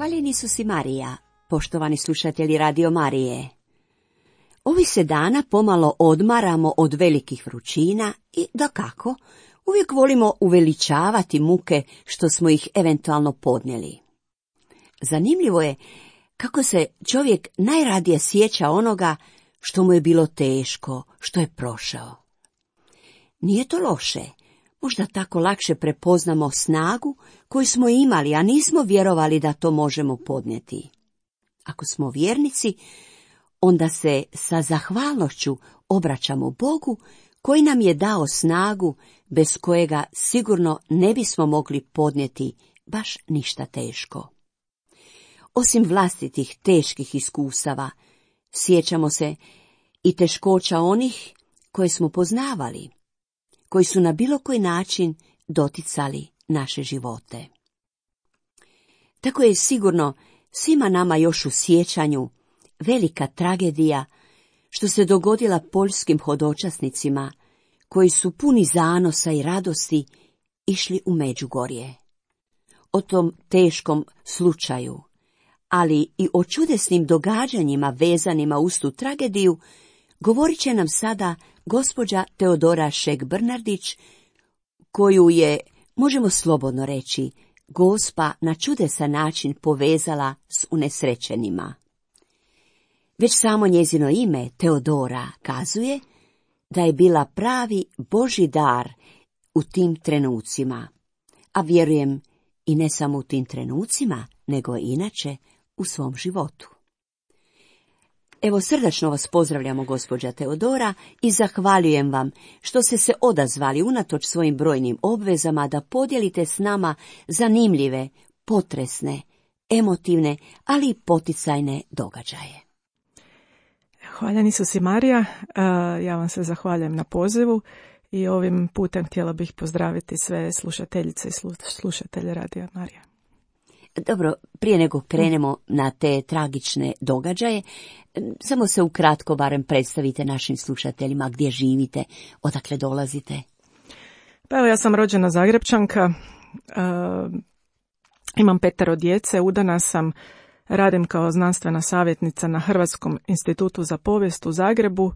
Hvaljen Isus i Marija, poštovani slušatelji Radio Marije. Ovih se dana pomalo odmaramo od velikih vrućina i, dakako, uvijek volimo uveličavati muke što smo ih eventualno podnijeli. Zanimljivo je kako se čovjek najradije sjeća onoga što mu je bilo teško, što je prošao. Nije to loše, možda tako lakše prepoznamo snagu koju smo imali, a nismo vjerovali da to možemo podnijeti. Ako smo vjernici, onda se sa zahvalnošću obraćamo Bogu koji nam je dao snagu bez kojega sigurno ne bismo mogli podnijeti baš ništa teško. Osim vlastitih teških iskustava, sjećamo se i teškoća onih koje smo poznavali, koji su na bilo koji način doticali naše živote. Tako je sigurno svima nama još u sjećanju velika tragedija što se dogodila poljskim hodočasnicima koji su puni zanosa i radosti išli u Međugorje. O tom teškom slučaju, ali i o čudesnim događanjima vezanima uz tu tragediju, govorit će nam sada gospođa Teodora Šek-Brnardić, koju je, možemo slobodno reći, Gospa na čudesan način povezala s unesrećenima. Već samo njezino ime, Teodora, kazuje da je bila pravi Božji dar u tim trenucima, a vjerujem i ne samo u tim trenucima, nego i inače u svom životu. Evo, srdačno vas pozdravljamo, gospođa Teodora, i zahvaljujem vam što ste se odazvali unatoč svojim brojnim obvezama da podijelite s nama zanimljive, potresne, emotivne, ali i poticajne događaje. Hvaljen Isus i Marija, ja vam se zahvaljujem na pozivu i ovim putem htjela bih pozdraviti sve slušateljice i slušatelje Radija Marija. Dobro, prije nego krenemo na te tragične događaje, samo se ukratko barem predstavite našim slušateljima gdje živite, odakle dolazite. Pa evo, ja sam rođena Zagrepčanka, imam 5 djece, udana sam, radim kao znanstvena savjetnica na Hrvatskom institutu za povijest u Zagrebu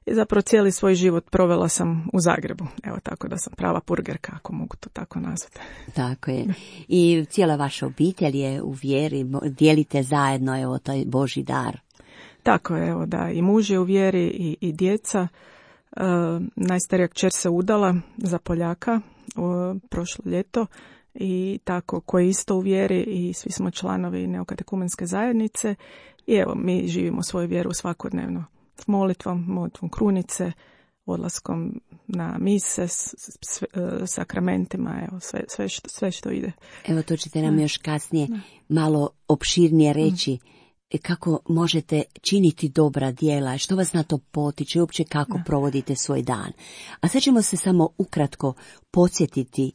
i zapravo cijeli svoj život provela sam u Zagrebu. Evo, tako da sam prava purgerka, ako mogu to tako nazvati. Tako je. I cijela vaša obitelj je u vjeri, dijelite zajedno, evo, taj Božji dar. Tako je, evo, da, i muž je u vjeri i djeca. Najstarija kćer se udala za Poljaka prošlo ljeto i tako, koji isto u vjeri i svi smo članovi neokatekumenske zajednice i evo, mi živimo svoju vjeru svakodnevno. S molitvom krunice, odlaskom na mise, sakramentima, evo, sve što ide. Evo, to ćete nam još kasnije malo opširnije reći. Kako možete činiti dobra djela, što vas na to potiče, uopće kako provodite svoj dan. A sad ćemo se samo ukratko podsjetiti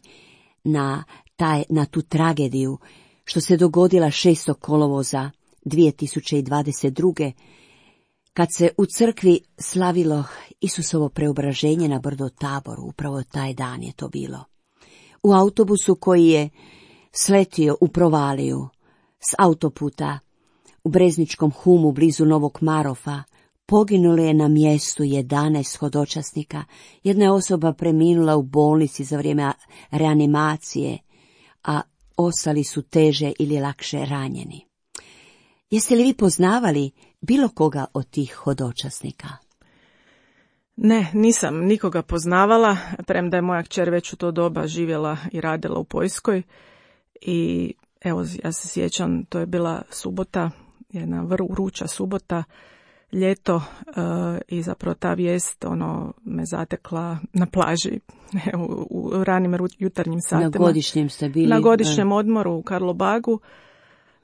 na tu tragediju što se dogodila 6. kolovoza 2022. kad se u crkvi slavilo Isusovo preobraženje na brdo Taboru. Upravo taj dan je to bilo. U autobusu koji je sletio u provaliju s autoputa u Brezničkom Humu blizu Novog Marofa poginulo je na mjestu 11 hodočasnika. Jedna je osoba preminula u bolnici za vrijeme reanimacije, a ostali su teže ili lakše ranjeni. Jeste li vi poznavali bilo koga od tih hodočasnika? Ne, nisam nikoga poznavala, premda je moja kćer već u to doba živjela i radila u Poljskoj. I evo, ja se sjećam, to je bila subota, jedna vruća subota, ljeto, i zapravo ta vijest me zatekla na plaži u ranim jutarnjim satima. Na godišnjem ste bili? Na godišnjem odmoru u Karlobagu.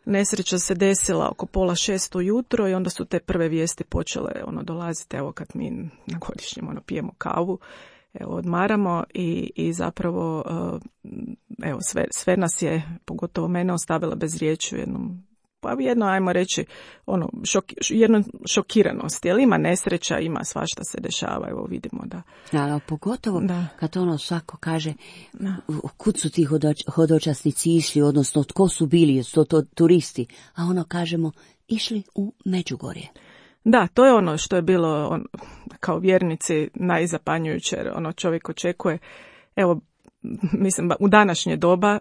Nesreća se desila oko 5:30 ujutro i onda su te prve vijesti počele dolaziti, evo, kad mi na godišnjem pijemo kavu, evo, odmaramo i zapravo evo, sve nas je, pogotovo mene, ostavila bez riječi u jednom pa jedno, ajmo reći, jedno šokiranost, jer ima nesreća, ima svašta se dešava, evo vidimo da. Da, pogotovo kad svako kaže kud su ti hodočasnici išli, odnosno tko su bili, su to turisti, a kažemo išli u Međugorje. Da, to je ono što je bilo kao vjernici najzapanjujuće, jer čovjek očekuje, evo, mislim, u današnje doba,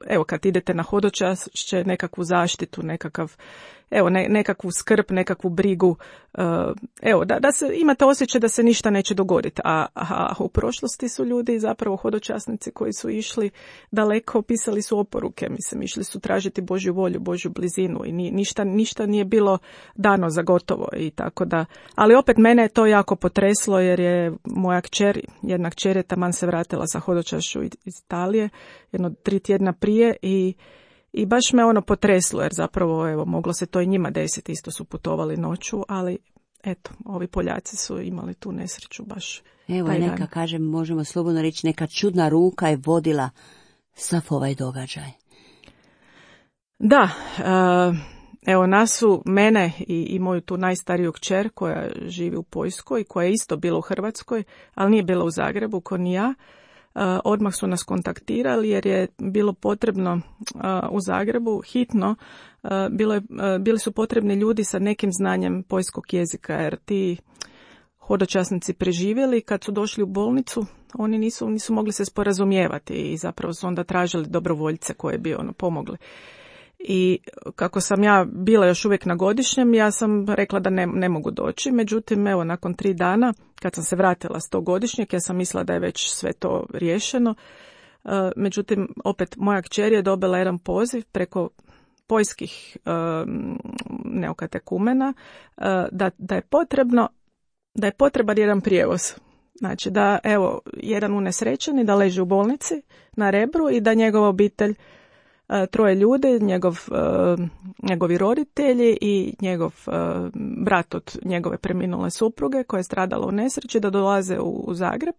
evo, kad idete na hodočašće, nekakvu zaštitu, nekakvu skrb, nekakvu brigu, evo, da se imate osjećaj da se ništa neće dogoditi, a u prošlosti su ljudi, zapravo hodočasnici koji su išli daleko, pisali su oporuke, mislim, išli su tražiti Božju volju, Božju blizinu i ništa nije bilo dano za gotovo i tako da, ali opet mene je to jako potreslo jer je moja kćer, jedna kćer je taman se vratila sa hodočašću iz Italije, 3 tjedna prije i baš me potreslo, jer zapravo, evo, moglo se to i njima desiti, isto su putovali noću, ali eto, ovi Poljaci su imali tu nesreću baš. Evo, neka, kažem, možemo slobodno reći, neka čudna ruka je vodila sav ovaj događaj. Da, evo, mene i moju tu najstariju kćer koja živi u Poljskoj, koja je isto bila u Hrvatskoj, ali nije bila u Zagrebu, ko ni ja. Odmah su nas kontaktirali jer je bilo potrebno u Zagrebu hitno, bili su potrebni ljudi sa nekim znanjem poljskog jezika, jer ti hodočasnici preživjeli, kad su došli u bolnicu, oni nisu mogli se sporazumijevati i zapravo su onda tražili dobrovoljce koje bi pomogli. I kako sam ja bila još uvijek na godišnjem, ja sam rekla da ne mogu doći. Međutim, evo, nakon 3 dana, kad sam se vratila s tog godišnjeg, ja sam mislila da je već sve to riješeno. Međutim, opet, moja kćer je dobila jedan poziv preko poljskih neokatekumena da je potreban jedan prijevoz. Znači da, evo, jedan unesrećeni da leži u bolnici na Rebru i da njegova obitelj, 3 ljudi, njegovi roditelji i njegov brat od njegove preminule supruge koja je stradala u nesreći, da dolaze u Zagreb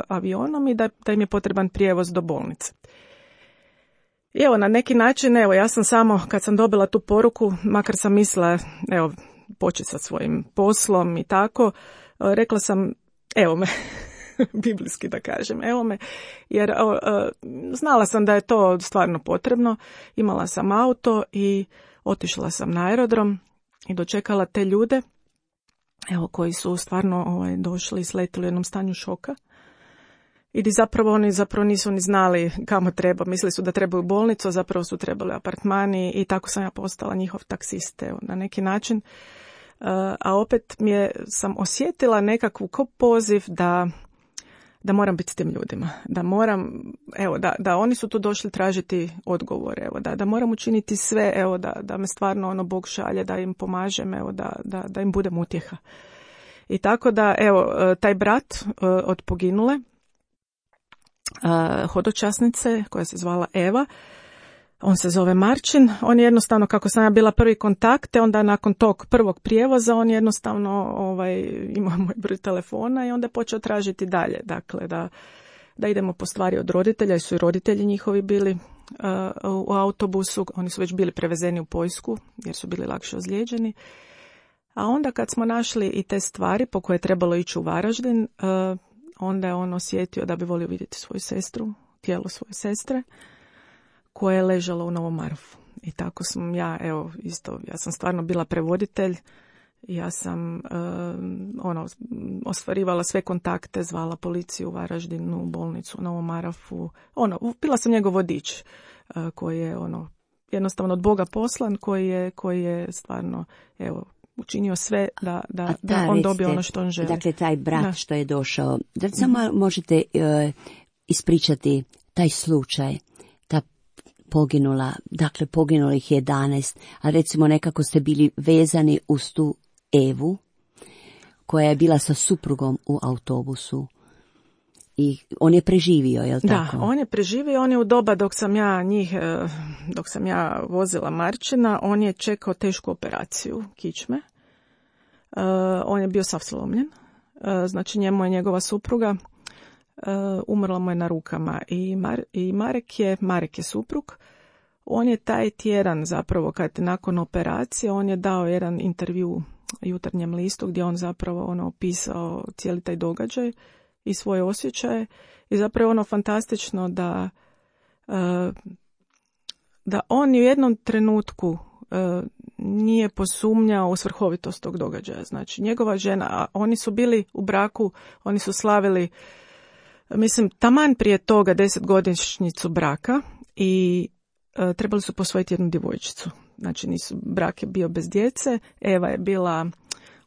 avionom i da im je potreban prijevoz do bolnice. I evo, na neki način, evo, ja sam samo, kad sam dobila tu poruku, makar sam mislila, evo, početi sa svojim poslom i tako, rekla sam, evo me, biblijski da kažem, evo me, jer znala sam da je to stvarno potrebno, imala sam auto i otišla sam na aerodrom i dočekala te ljude, evo, koji su stvarno došli i sletili u jednom stanju šoka. I oni nisu ni znali kamo treba, mislili su da trebaju bolnicu, a zapravo su trebali apartmani i tako sam ja postala njihov taksist, evo, na neki način. A opet sam osjetila nekakvu poziv da moram biti s tim ljudima, da moram, evo, da oni su tu došli tražiti odgovor, evo, da moram učiniti sve, evo, da me stvarno Bog šalje, da im pomažem, evo, da im budem utjeha. I tako da, evo, taj brat od poginule hodočasnice koja se zvala Eva, on se zove Marčin, on je jednostavno, kako sam ja bila prvi kontakt, onda nakon tog prvog prijevoza on jednostavno imao moj broj telefona i onda je počeo tražiti dalje, dakle da idemo po stvari od roditelja, jer su i roditelji njihovi bili u autobusu, oni su već bili prevezeni u Poljsku jer su bili lakše ozlijeđeni. A onda kad smo našli i te stvari po koje je trebalo ići u Varaždin, onda je on osjetio da bi volio vidjeti svoju sestru, tijelo svoje sestre, koje je ležalo u Novom Marofu. I tako sam ja sam stvarno bila prevoditelj, ja sam ostvarivala sve kontakte, zvala policiju u Varaždinu, bolnicu u Novom Marofu, bila sam njegov vodič, koji je jednostavno od Boga poslan, koji je stvarno, evo, učinio sve da on dobije ono što on želi. Dakle, taj brat što je došao, da samo možete ispričati taj slučaj, ta poginulih 11, a recimo nekako ste bili vezani uz tu Evu, koja je bila sa suprugom u autobusu. I on je preživio, je li tako? Da, on je preživio, on je u doba dok sam ja vozila Marčina, on je čekao tešku operaciju kičme. On je bio sav slomljen, znači njemu je njegova supruga, umrla mu je na rukama i Marek je suprug, on je taj tjedan zapravo, kad nakon operacije, on je dao jedan intervju Jutarnjem listu gdje on zapravo opisao cijeli taj događaj i svoje osjećaje. I zapravo je fantastično da on ni u jednom trenutku nije posumnjao u svrhovitost tog događaja. Znači, njegova žena, oni su bili u braku, oni su slavili, mislim, taman prije toga 10-godišnjicu braka i trebali su posvojiti jednu djevojčicu. Znači, brak je bio bez djece, Eva je bila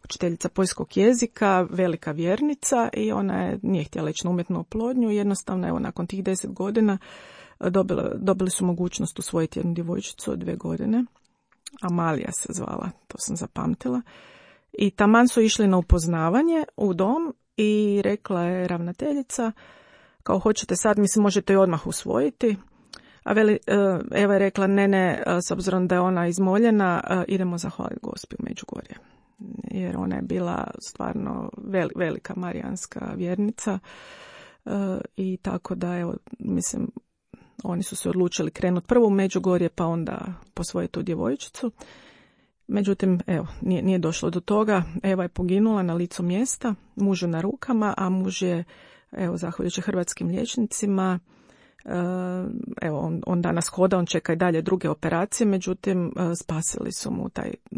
učiteljica poljskog jezika, velika vjernica i ona nije htjela ići na umjetnu oplodnju. Jednostavno, evo, nakon tih 10 godina dobili su mogućnost usvojiti jednu djevojčicu od 2 godine. Amalija se zvala, to sam zapamtila. I taman su išli na upoznavanje u dom i rekla je ravnateljica, kao hoćete sad, mislim, možete ju odmah usvojiti. A Eva je rekla, ne, s obzirom da je ona izmoljena, idemo zahvaliti Gospi u Međugorje. Jer ona je bila stvarno velika marijanska vjernica i tako da, evo, mislim, oni su se odlučili krenuti prvo u Međugorje pa onda posvojiti tu djevojčicu. Međutim, evo, nije došlo do toga. Eva je poginula na licu mjesta, mužu na rukama, a muž je, evo, zahvaljujući hrvatskim liječnicima, evo, on danas hoda, on čeka i dalje druge operacije, međutim,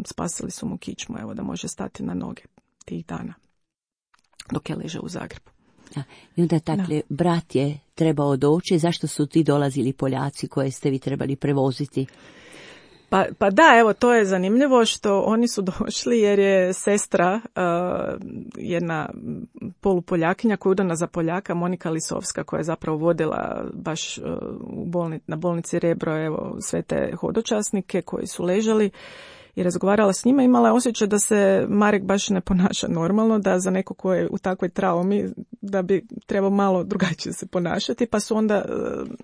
spasili su mu kičmu, evo, da može stati na noge tih dana, dok je ležao u Zagrebu. I onda dakle, brat je trebao doći, zašto su ti dolazili Poljaci koje ste vi trebali prevoziti? Pa da, evo, to je zanimljivo što oni su došli jer je sestra, jedna polupoljakinja koja je udana za Poljaka, Monika Lisovska, koja je zapravo vodila baš na bolnici Rebro, evo, sve te hodočasnike koji su ležali i razgovarala s njima, imala je osjećaj da se Marek baš ne ponaša normalno, da za neko ko je u takvoj traumi da bi trebao malo drugačije se ponašati, pa su onda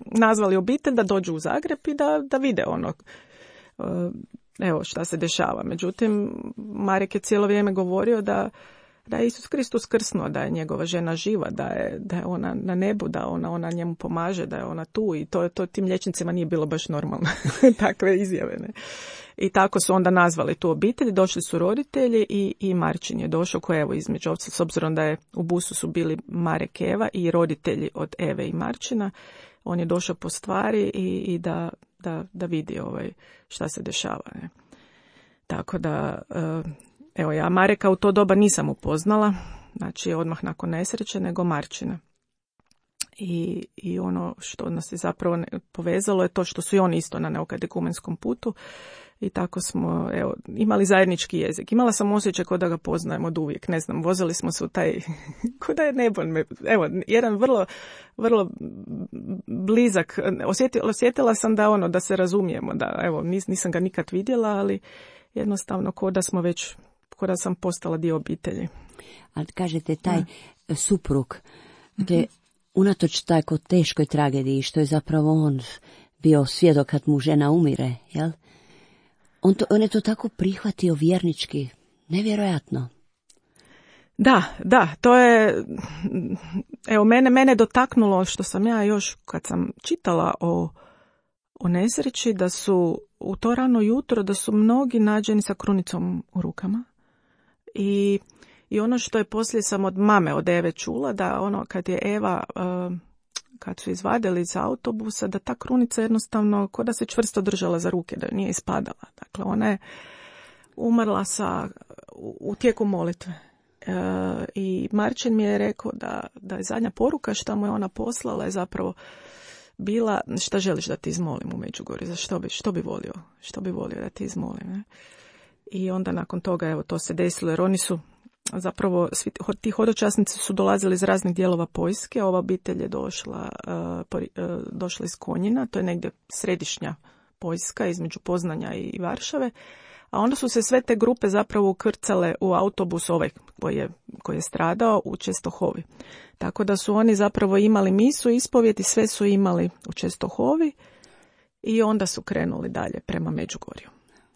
nazvali obitelj da dođu u Zagreb i da vide evo šta se dešava. Međutim, Marek je cijelo vrijeme govorio da je Isus Kristus krsnuo, da je njegova žena živa, da je ona na nebu, da ona njemu pomaže, da je ona tu i to tim liječnicima nije bilo baš normalno, takve izjave. Ne? I tako su onda nazvali tu obitelj, došli su roditelji i Marčin je došao, koji evo između ovca, s obzirom da je u busu su bili Marek, Eva i roditelji od Eve i Marčina, on je došao po stvari i da vidi šta se dešava. Ne? Tako da, evo, ja Mareka u to doba nisam upoznala, znači odmah nakon nesreće, nego Marčina. I ono što nas je zapravo povezalo je to što su i oni isto na neokatekumenskom putu i tako smo, evo, imali zajednički jezik. Imala sam osjećaj kao da ga poznajem od uvijek, ne znam, vozili smo se u taj, kao da je nebo, evo, jedan vrlo, vrlo blizak, osjetila sam da se razumijemo, da, evo, nisam ga nikad vidjela, ali jednostavno kao da sam postala dio obitelji. Ali kažete, taj suprug, te unatoč tako teškoj tragediji, što je zapravo on bio svjedok kad mu žena umire, jel? On je to tako prihvatio vjernički, nevjerojatno. Da, to je, evo, mene dotaknulo što sam ja još kad sam čitala o nesreći, da su u to rano jutro, da su mnogi nađeni sa krunicom u rukama. I ono što je poslije sam od mame, od Eve čula, da kad je Eva, kad su izvadili iz autobusa, da ta krunica jednostavno ko da se čvrsto držala za ruke, da nije ispadala. Dakle, ona je umrla u tijeku molitve. I Marčin mi je rekao da je zadnja poruka što mu je ona poslala je zapravo bila, šta želiš da ti izmolim u Međugorju, za što bi volio da ti izmolim. Ne? I onda nakon toga, evo, to se desilo, jer oni su zapravo, svi ti hodočasnici su dolazili iz raznih dijelova Poljske. Ova obitelj je došla iz Konjina, to je negdje središnja Poljska, između Poznanja i Varšave. A onda su se sve te grupe zapravo ukrcale u autobus koji je stradao u Čestohovi. Tako da su oni zapravo imali misu, ispovjed i sve su imali u Čestohovi i onda su krenuli dalje prema Međugorju.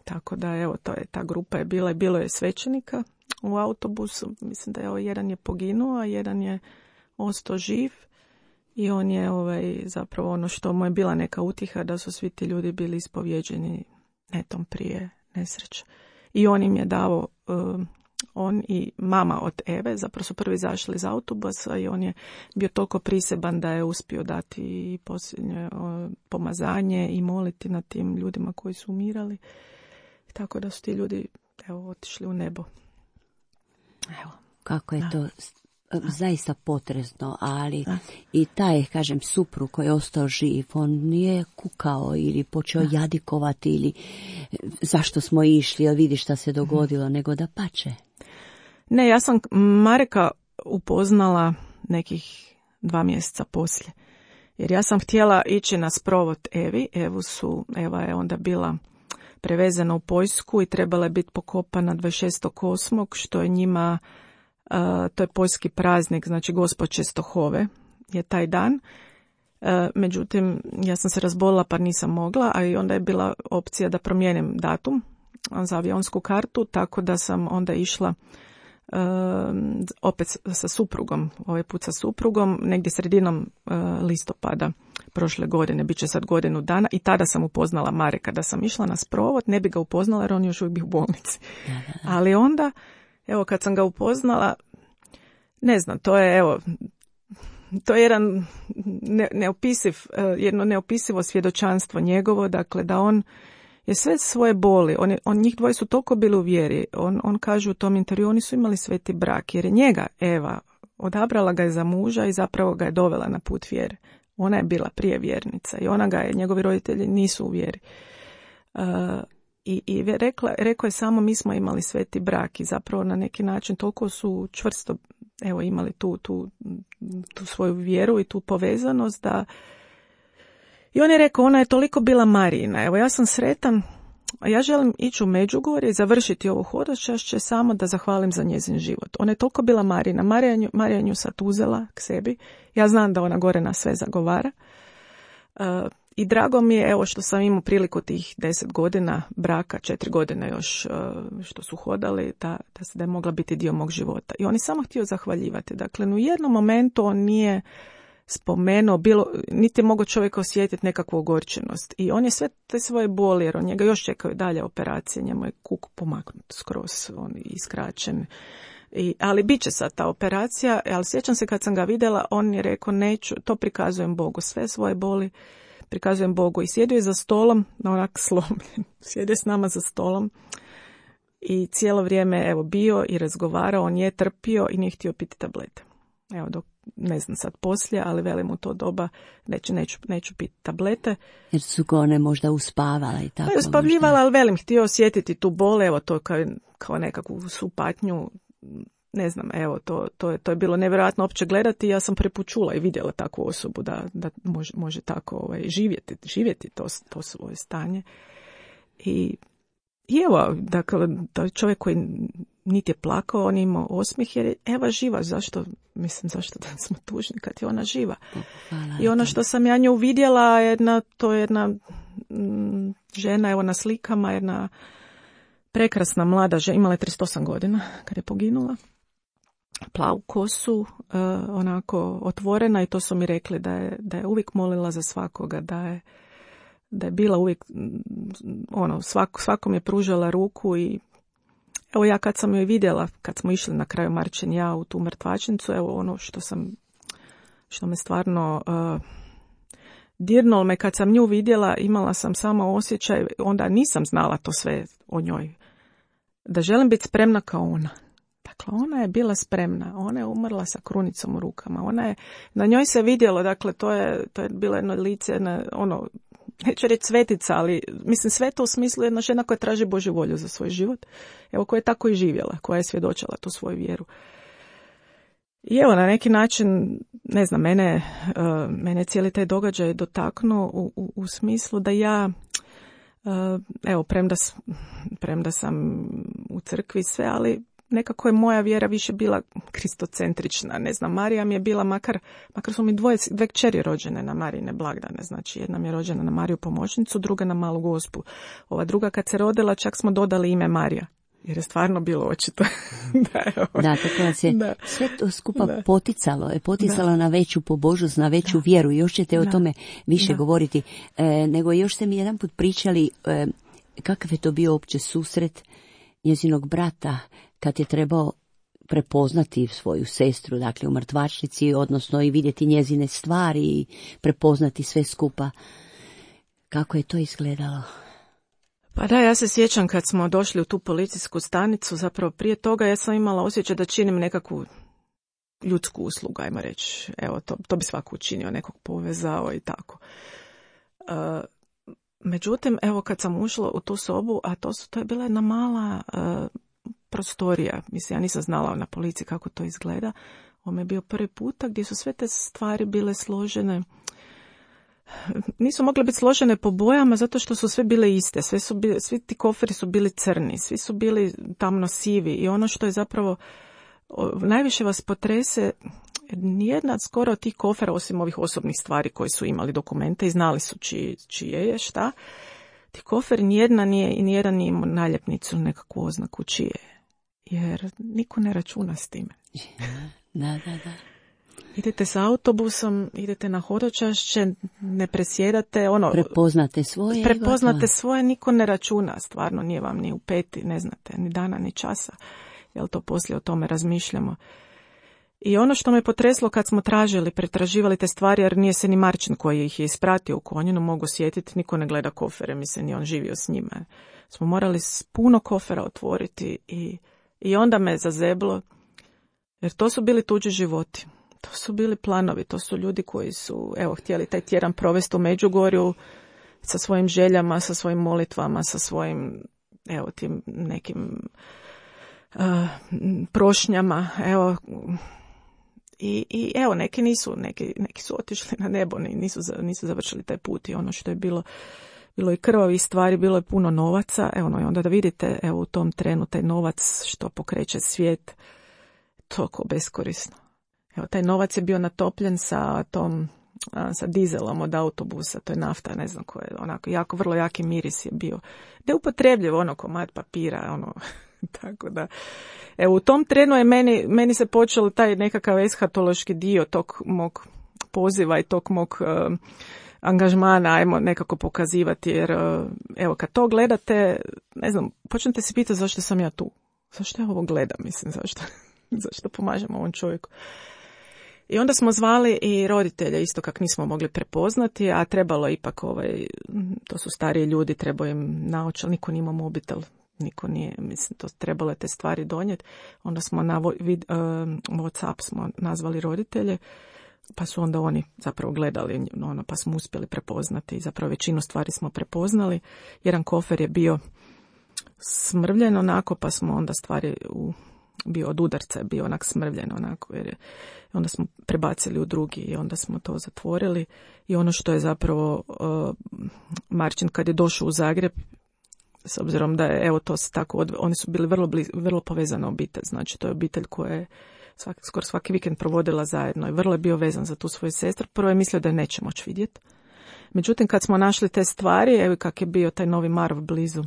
Tako da, evo, ta grupa je bilo je svećenika u autobusu. Mislim da jedan je poginuo, a jedan je ostao živ. I on je zapravo ono što mu je bila neka utiha, da su svi ti ljudi bili ispovjeđeni netom prije nesreće. I on im je dao, on i mama od Eve, zapravo su prvi izašli iz autobusa i on je bio toliko priseban da je uspio dati i posljednje pomazanje i moliti nad tim ljudima koji su umirali. Tako da su ti ljudi otišli u nebo. Evo. Kako je to zaista potresno, ali i taj, kažem, suprug koji je ostao živ, on nije kukao ili počeo jadikovati ili zašto smo išli, ili vidi šta se dogodilo, nego da pače. Ne, ja sam Mareka upoznala nekih 2 mjeseca poslije. Jer ja sam htjela ići na sprovod Evi. Eva je onda bila prevezena u Poljsku i trebala je biti pokopana 26.8. što je njima, to je poljski praznik, znači Gospod Čestohove je taj dan. Međutim, ja sam se razbolila pa nisam mogla, a i onda je bila opcija da promijenim datum za avionsku kartu, tako da sam onda išla opet sa suprugom, ovaj put sa suprugom, negdje sredinom listopada prošle godine, bit će sad godinu dana i tada sam upoznala Mareka. Da sam išla na sprovod, ne bi ga upoznala jer on još uvijek bio u bolnici. Ali onda, evo kad sam ga upoznala, ne znam, to je jedan jedno neopisivo svjedočanstvo njegovo, dakle da on je sve svoje boli, njih dvoje su toliko bili u vjeri, on kaže u tom intervju, oni su imali sveti brak, jer je njega, Eva, odabrala ga je za muža i zapravo ga je dovela na put vjere. Ona je bila prije vjernica i njegovi roditelji nisu u vjeri. I rekao je samo mi smo imali sveti brak i zapravo na neki način toliko su čvrsto imali tu svoju vjeru i tu povezanost da. I on je rekao, ona je toliko bila Marijina. Evo, ja sam sretan, ja želim ići u Međugorje i završiti ovo hodočašće samo da zahvalim za njezin život. Ona je toliko bila Marijina. Marija nju sad uzela k sebi. Ja znam da ona gore na sve zagovara. I drago mi je, evo, što sam imao priliku tih 10 godina braka, 4 godine još što su hodali, da je mogla biti dio mog života. I on je samo htio zahvaljivati. Dakle, u jednom momentu on nije spomenuo, niti je mogao čovjek osjetiti nekakvu ogorčenost. I on je sve te svoje boli, jer on njega još čekaju dalje operacije, njemu je kuk pomaknut skroz, on je iskraćen. Ali bit će sad ta operacija, ali sjećam se kad sam ga vidjela, on je rekao, neću, to prikazujem Bogu, sve svoje boli prikazujem Bogu. I sjedio je za stolom, onak slomljen, sjedio s nama za stolom i cijelo vrijeme bio i razgovarao, on je trpio i nije htio piti tablete. Evo, dok ne znam sad poslije, ali velim u to doba neću piti tablete. Jer su ga one možda uspavala i tako. Uspavljivala, ali velim, htio osjetiti tu bol, evo to kao nekakvu supatnju, ne znam, evo, to je bilo nevjerojatno opće gledati. Ja sam preput čula i vidjela takvu osobu da može tako živjeti to svoje stanje. I evo, dakle, da čovjek koji niti je plakao, on je imao osmijeh, jer je Eva živa. Zašto da smo tužni kad je ona živa? Hvala. I ono što sam ja nju vidjela, to je jedna žena, evo na slikama, jedna prekrasna mlada žena, imala je 38 godina kad je poginula. Plavu kosu, onako otvorena, i to su mi rekli da je uvijek molila za svakoga, da je bila uvijek, svakom je pružala ruku. I evo, ja kad sam joj vidjela, kad smo išli na kraju Marčen ja u tu mrtvačnicu, evo ono što me stvarno dirnulo me, kad sam nju vidjela, imala sam samo osjećaj, onda nisam znala to sve o njoj, da želim biti spremna kao ona. Dakle, ona je bila spremna, ona je umrla sa krunicom u rukama, na njoj se vidjelo, dakle, to je bilo jedno lice, neću reći svetica, ali mislim sveta u smislu jedna žena koja traži Božju volju za svoj život, evo, koja je tako i živjela, koja je svjedočila tu svoju vjeru. I evo, na neki način, ne znam, mene cijeli taj događaj dotaknuo u smislu da ja, evo, premda sam u crkvi sve, ali nekako je moja vjera više bila kristocentrična. Ne znam, Marija mi je bila, makar su mi dve kćeri rođene na Marijine blagdane. Znači, jedna mi je rođena na Mariju pomoćnicu, druga na Malu Gospu. Ova druga kad se rodila, čak smo dodali ime Marija. jer je stvarno bilo očito. Da, tako vas je sve to skupa poticalo na veću pobožnost, na veću vjeru. Još ćete o tome više govoriti. Nego još ste mi jedan put pričali kakav je to bio uopće susret njezinog brata kad je trebao prepoznati svoju sestru, dakle u mrtvačnici, odnosno i vidjeti njezine stvari i prepoznati sve skupa. Kako je to izgledalo? Pa da, ja se sjećam kad smo došli u tu policijsku stanicu, zapravo prije toga ja sam imala osjećaj da činim nekakvu ljudsku uslugu, ajmo reći. Evo, to bi svako učinio, nekog povezao i tako. Međutim, evo kad sam ušla u tu sobu, a to je bila jedna mala prostorija, mislim, ja nisam znala na policiji kako to izgleda. Ovo je bio prvi puta gdje su sve te stvari bile složene. Nisu mogle biti složene po bojama zato što su sve bile iste. Svi ti koferi su bili crni, svi su bili tamno sivi i ono što je zapravo najviše vas potrese, nijedna skoro od tih kofera, osim ovih osobnih stvari koji su imali dokumente i znali su čije je šta, ti koferi nijedan nije imao naljepnicu, nekakvu oznaku čije je. Jer niko ne računa s time. Da. Idete s autobusom, idete na hodočašće, ne presjedate, prepoznate svoje, niko ne računa, stvarno nije vam ni u peti, ne znate, ni dana, ni časa, jel to poslije o tome razmišljamo. I ono što me potreslo kad smo pretraživali te stvari, jer nije se ni Marčin koji ih je ispratio u Konjinu mogu sjetiti, niko ne gleda kofere, mislim, ni on živio s njima. Smo morali puno kofera otvoriti i onda me zazeblo, jer to su bili tuđi životi. To su bili planovi, to su ljudi koji su htjeli taj tjedan provesti u Međugorju sa svojim željama, sa svojim molitvama, sa svojim tim nekim prošnjama. I neki su otišli na nebo, nisu završili taj put i ono što je bilo i krvavih stvari, bilo je puno novaca. I onda da vidite u tom trenu taj novac što pokreće svijet, toliko beskorisno. Taj novac je bio natopljen sa dizelom od autobusa, to je nafta, ne znam koje, onako vrlo jaki miris je bio. Da je upotrebljiv komad papira, tako da. U tom trenu je meni se počeo taj nekakav eshatološki dio tog mog poziva i tog mog angažmana, ajmo nekako pokazivati, jer kad to gledate, ne znam, počnete se pitati zašto sam ja tu, zašto ja ovo gledam, mislim, zašto pomažem ovom čovjeku. I onda smo zvali i roditelje, isto kak nismo mogli prepoznati, a trebalo ipak, to su stariji ljudi, trebao im naočal, niko nije imao mobitel, niko nije, mislim, to trebalo je te stvari donijeti. Onda smo na WhatsApp smo nazvali roditelje, pa su onda oni zapravo gledali, pa smo uspjeli prepoznati, zapravo većinu stvari smo prepoznali. Jedan kofer je bio smrvljen onako, pa smo onda stvari bio od udarca, bio onak smrvljen onako, onda smo prebacili u drugi i onda smo to zatvorili. I ono što je zapravo Marčin kad je došao u Zagreb, s obzirom da je, to se tako, oni su bili vrlo povezana obitelj, znači to je obitelj koja je skoro svaki vikend provodila zajedno i vrlo je bio vezan za tu svoju sestru. Prvo je mislio da je neće moći vidjeti. Međutim, kad smo našli te stvari, kak je bio taj Novi Marof blizu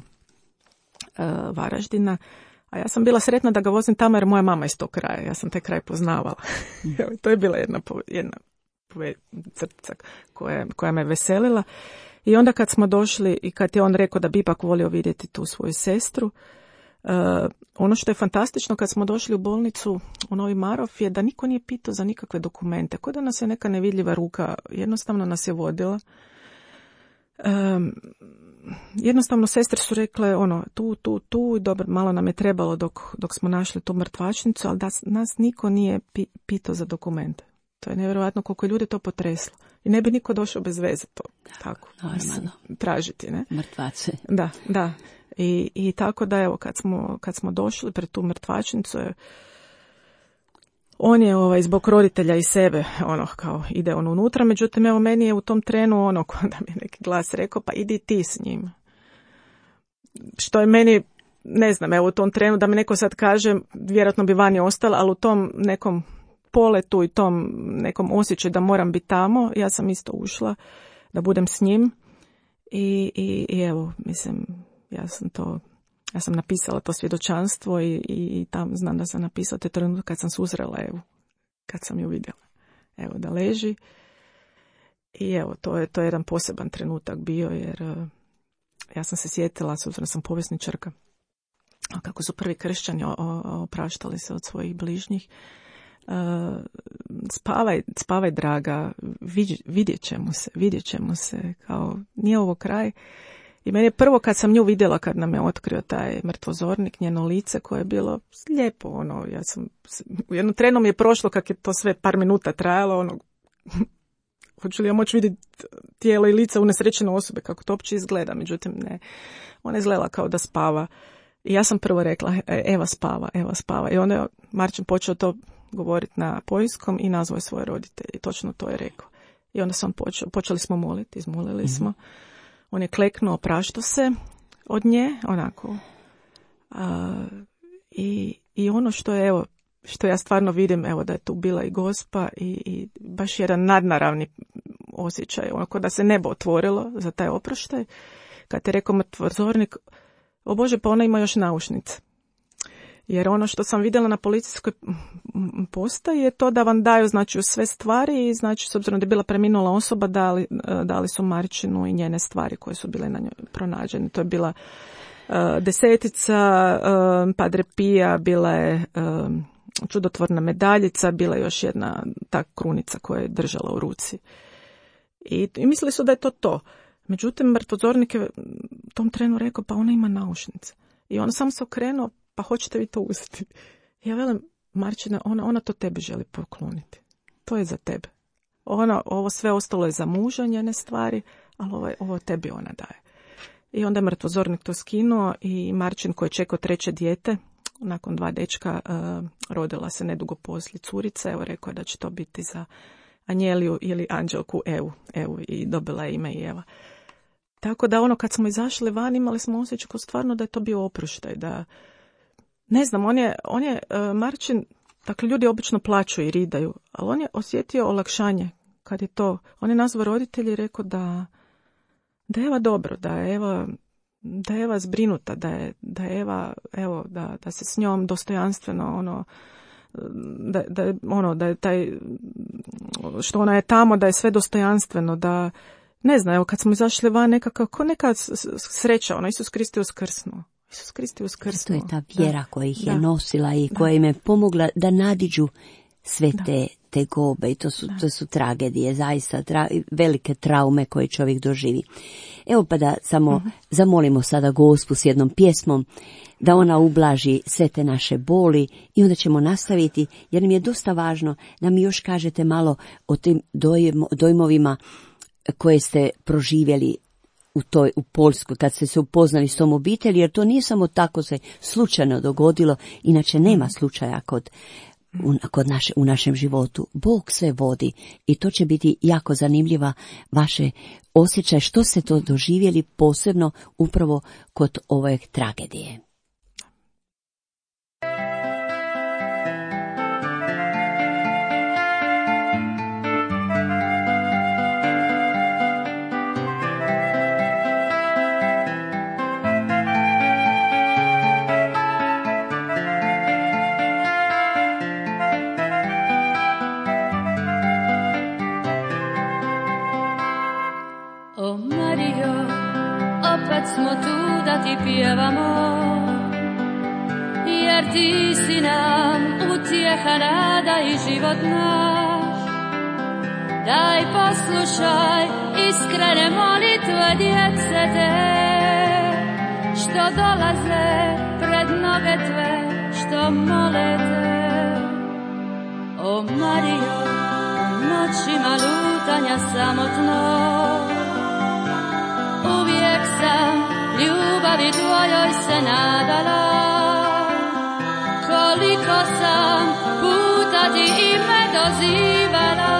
Varaždina, a ja sam bila sretna da ga vozim tamo jer moja mama iz tog kraja, ja sam taj kraj poznavala. To je bila jedna crtica koja me veselila. I onda kad smo došli i kad je on rekao da bi ipak volio vidjeti tu svoju sestru, ono što je fantastično kad smo došli u bolnicu u Novi Marof je da niko nije pitao za nikakve dokumente, kao da nas je neka nevidljiva ruka, jednostavno nas je vodila. Jednostavno sestre su rekle tu, dobro, malo nam je trebalo dok smo našli tu mrtvačnicu, ali da nas niko nije pitao za dokumente. To je nevjerojatno koliko je ljudi to potreslo. I ne bi niko došao bez veze to tako tražiti, ne? Mrtvace. Da. I tako da, evo, kad smo došli pred tu mrtvačnicu, on je zbog roditelja i sebe, kao ide unutra, međutim, evo, meni je u tom trenu da mi je neki glas rekao, pa idi ti s njim. Što je meni, ne znam, evo, u tom trenu da mi neko sad kaže, vjerojatno bi vani ostala, ali u tom nekom poletu i tom nekom osjećaju da moram biti tamo, ja sam isto ušla da budem s njim i evo, mislim, ja sam to Ja sam napisala to svjedočanstvo i tam znam da sam napisala te trenutak kad sam susrela Evu, kad sam ju vidjela. Evo da leži. I evo, to je jedan poseban trenutak bio, jer ja sam se sjetila, s obzirom sam povjesničarka, kako su prvi kršćani opraštali se od svojih bližnjih. Spavaj draga, vidjet ćemo se, kao nije ovo kraj. I meni je prvo kad sam nju vidjela, kad nam je otkrio taj mrtvozornik, njeno lice koje je bilo lijepo, u jednom trenu mi je prošlo kak je to sve par minuta trajalo, hoću li ja moći vidjeti tijelo i lice unesrećene osobe, kako to uopće izgleda, međutim ne, ona je izgledala kao da spava. I ja sam prvo rekla, Eva spava. I onda je Marčin počeo to govoriti na poljskom i nazvao svoje roditelje. I točno to je rekao. I onda sam počeli smo moliti, izmolili smo. On je kleknuo, opraštao se od nje, onako. I ono što je, evo, što ja stvarno vidim, evo, da je tu bila i Gospa i baš jedan nadnaravni osjećaj, onako da se nebo otvorilo za taj oproštaj. Kad je rekao mrtvozornik, o Bože, pa ona ima još naušnice. Jer ono što sam vidjela na policijskoj postaji je to da vam daju, znači, sve stvari i, znači, s obzirom da je bila preminula osoba, dali su Marčinu i njene stvari koje su bile na njoj pronađene. To je bila desetica, Padre Pija, bila je čudotvorna medaljica, bila je još jedna ta krunica koju je držala u ruci. I mislili su da je to. Međutim, mrtvozornik je u tom trenu rekao, pa ona ima naušnice. I on sam se okrenuo, pa hoćete vi to uzeti? Ja velim, Marčina, ona to tebi želi pokloniti. To je za tebe. Ovo sve ostalo je za muža, njene stvari, ali ovo tebi ona daje. I onda je mrtvozornik to skinuo i Marčin, koji je čekao 3. dijete, nakon 2 dečka, rodila se nedugo poslije curica, evo rekao da će to biti za Anjeliju ili Anđelku Evu i dobila je ime i Eva. Tako da kad smo izašli van, imali smo osjećaj stvarno da je to bio oproštaj, da ne znam, on je Marčin, dakle ljudi obično plaću i ridaju, ali on je osjetio olakšanje kad je to, on je nazvao roditelji i rekao da je Eva dobro, da je Eva zbrinuta, da je Eva, evo, da se s njom dostojanstveno, da je taj, što ona je tamo, da je sve dostojanstveno, da, ne znam, evo kad smo izašli van, neka sreća, Isus Krist je uskrsnuo. To je ta vjera koja ih je nosila i koja im je pomogla da nadiđu sve te gobe i to su tragedije, zaista velike traume koje čovjek doživi. Evo pa da samo zamolimo sada Gospu s jednom pjesmom da ona ublaži sve te naše boli i onda ćemo nastaviti, jer mi je dosta važno da mi još kažete malo o tim dojmovima koje ste proživjeli u Poljskoj, kad ste se upoznali s tom obitelji, jer to nije samo tako se slučajno dogodilo, inače nema slučaja u našem životu. Bog sve vodi i to će biti jako zanimljiva vaše osjećaj što ste to doživjeli posebno upravo kod ove tragedije. Smo tu da ti pjevamo, jer ti si nam utjeha, nada i život naš. Daj poslušaj iskrene molitve djece te, što dolaze pred noge tve, što mole te. O Marijo, noćima lutanja samotno, uvijek sam ljubavi tvojoj se nadala. Koliko sam puta ti ime dozivala,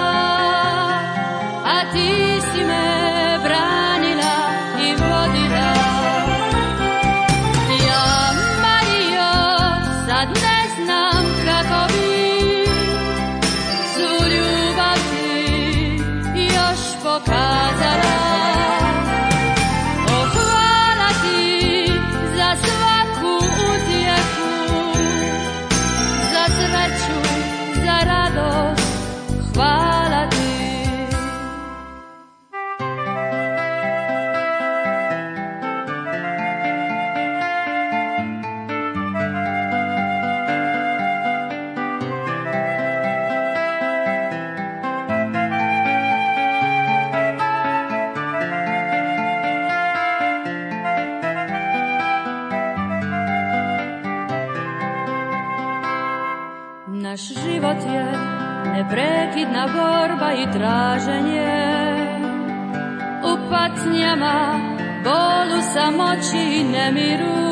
a ti si me branila i vodila. Ja, Marijo, sad ne znam kako bi svu ljubav ti još pokazala. Svaku Naš život je neprekidna borba i traženje, u patnjama, bolu, samoći i nemiru.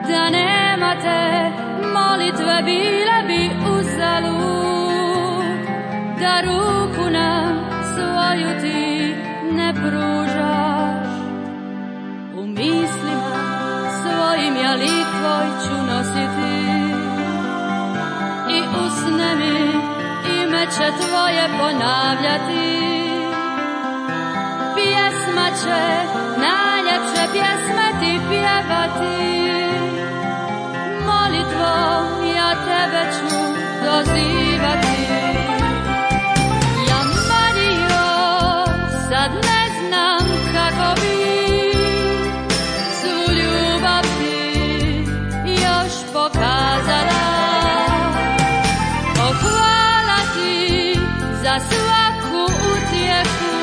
Da nema te molitve bile bi uzalud, da ruku nam svoju ti ne pružaš. U mislima svojim ja lik tvoj ću nositi i usne mi ime će tvoje ponavljati. Pjesma će najljepše pjesme ti pjevati, molitvom ja tebe ću dozivati. Ja Marijo sad ne znam kako bi svu ljubav ti još pokazala. O hvala ti za svaku utjehu,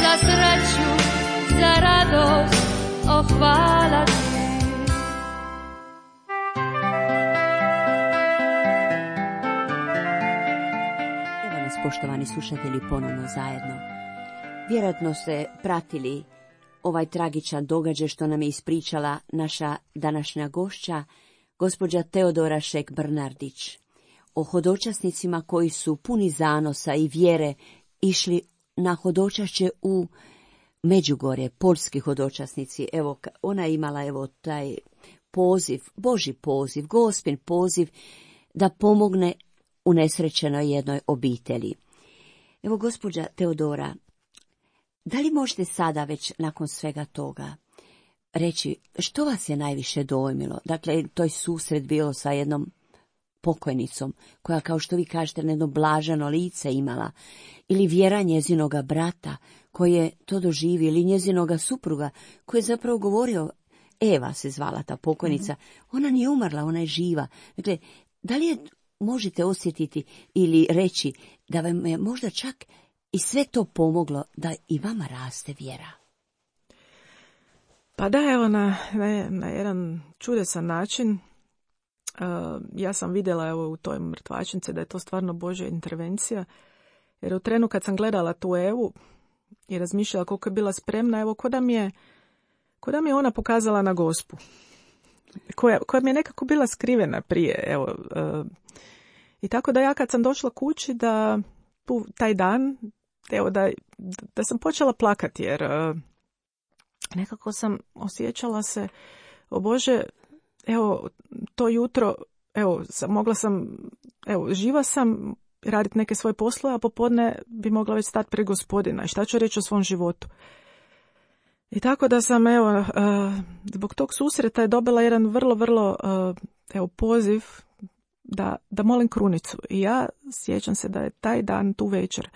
za sreću, za radost, o hvala ti. Poštovani slušatelji, ponovno zajedno. Vjerojatno ste pratili ovaj tragičan događaj što nam je ispričala naša današnja gošća, gospođa Teodora Šek-Brnardić, o hodočasnicima koji su puni zanosa i vjere išli na hodočašće u Međugorje, poljski hodočasnici. Evo, ona je imala taj poziv, Božji poziv, Gospin poziv da pomogne unesrećenoj jednoj obitelji. Evo, gospođa Teodora, da li možete sada već nakon svega toga reći što vas je najviše dojmilo? Dakle, to je susret bilo sa jednom pokojnicom koja, kao što vi kažete, jedno blaženo lice imala, ili vjera njezinoga brata koji je to doživio, ili njezinoga supruga koji je zapravo govorio, Eva se zvala ta pokojnica, ona nije umrla, ona je živa. Dakle, da li je možete osjetiti ili reći da vam je možda čak i sve to pomoglo da i vama raste vjera? Pa da, evo, na jedan čudesan način ja sam vidjela u toj mrtvačnici da je to stvarno Božja intervencija, jer u trenu kad sam gledala tu Evu i razmišljala koliko je bila spremna, evo, ko da mi je ona pokazala na Gospu, koja mi je nekako bila skrivena prije, evo. I tako da ja kad sam došla kući, da taj dan, evo, da sam počela plakati, jer nekako sam osjećala se, o Bože, evo, to jutro, evo, mogla sam, evo, živa sam, raditi neke svoje poslove, a popodne bi mogla već stati pred Gospodina i šta ću reći o svom životu. I tako da sam, evo, zbog tog susreta je dobila jedan vrlo, evo, poziv da molim krunicu. I ja sjećam se da je taj dan, tu večer,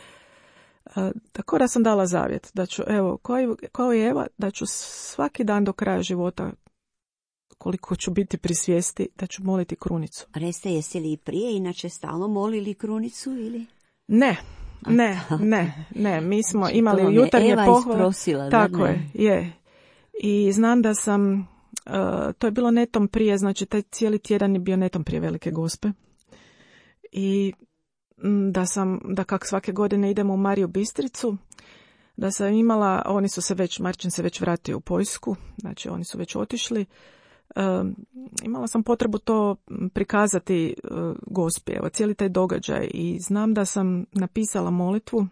tako da sam dala zavjet, da ću, evo, kao i Eva, da ću svaki dan do kraja života, koliko ću biti pri svijesti, da ću moliti krunicu. Recite, jeste li i prije inače stalno molili krunicu ili? Ne, mi smo imali jutarnje pohvale. Tako je. I znam da sam, to je bilo netom prije, znači taj cijeli tjedan je bio netom prije Velike Gospe. I da kak svake godine idemo u Mariju Bistricu, da sam imala, Marčin se već vratio u Poljsku, znači oni su već otišli. Imala sam potrebu to prikazati Gospi, evo, cijeli taj događaj, i znam da sam napisala molitvu,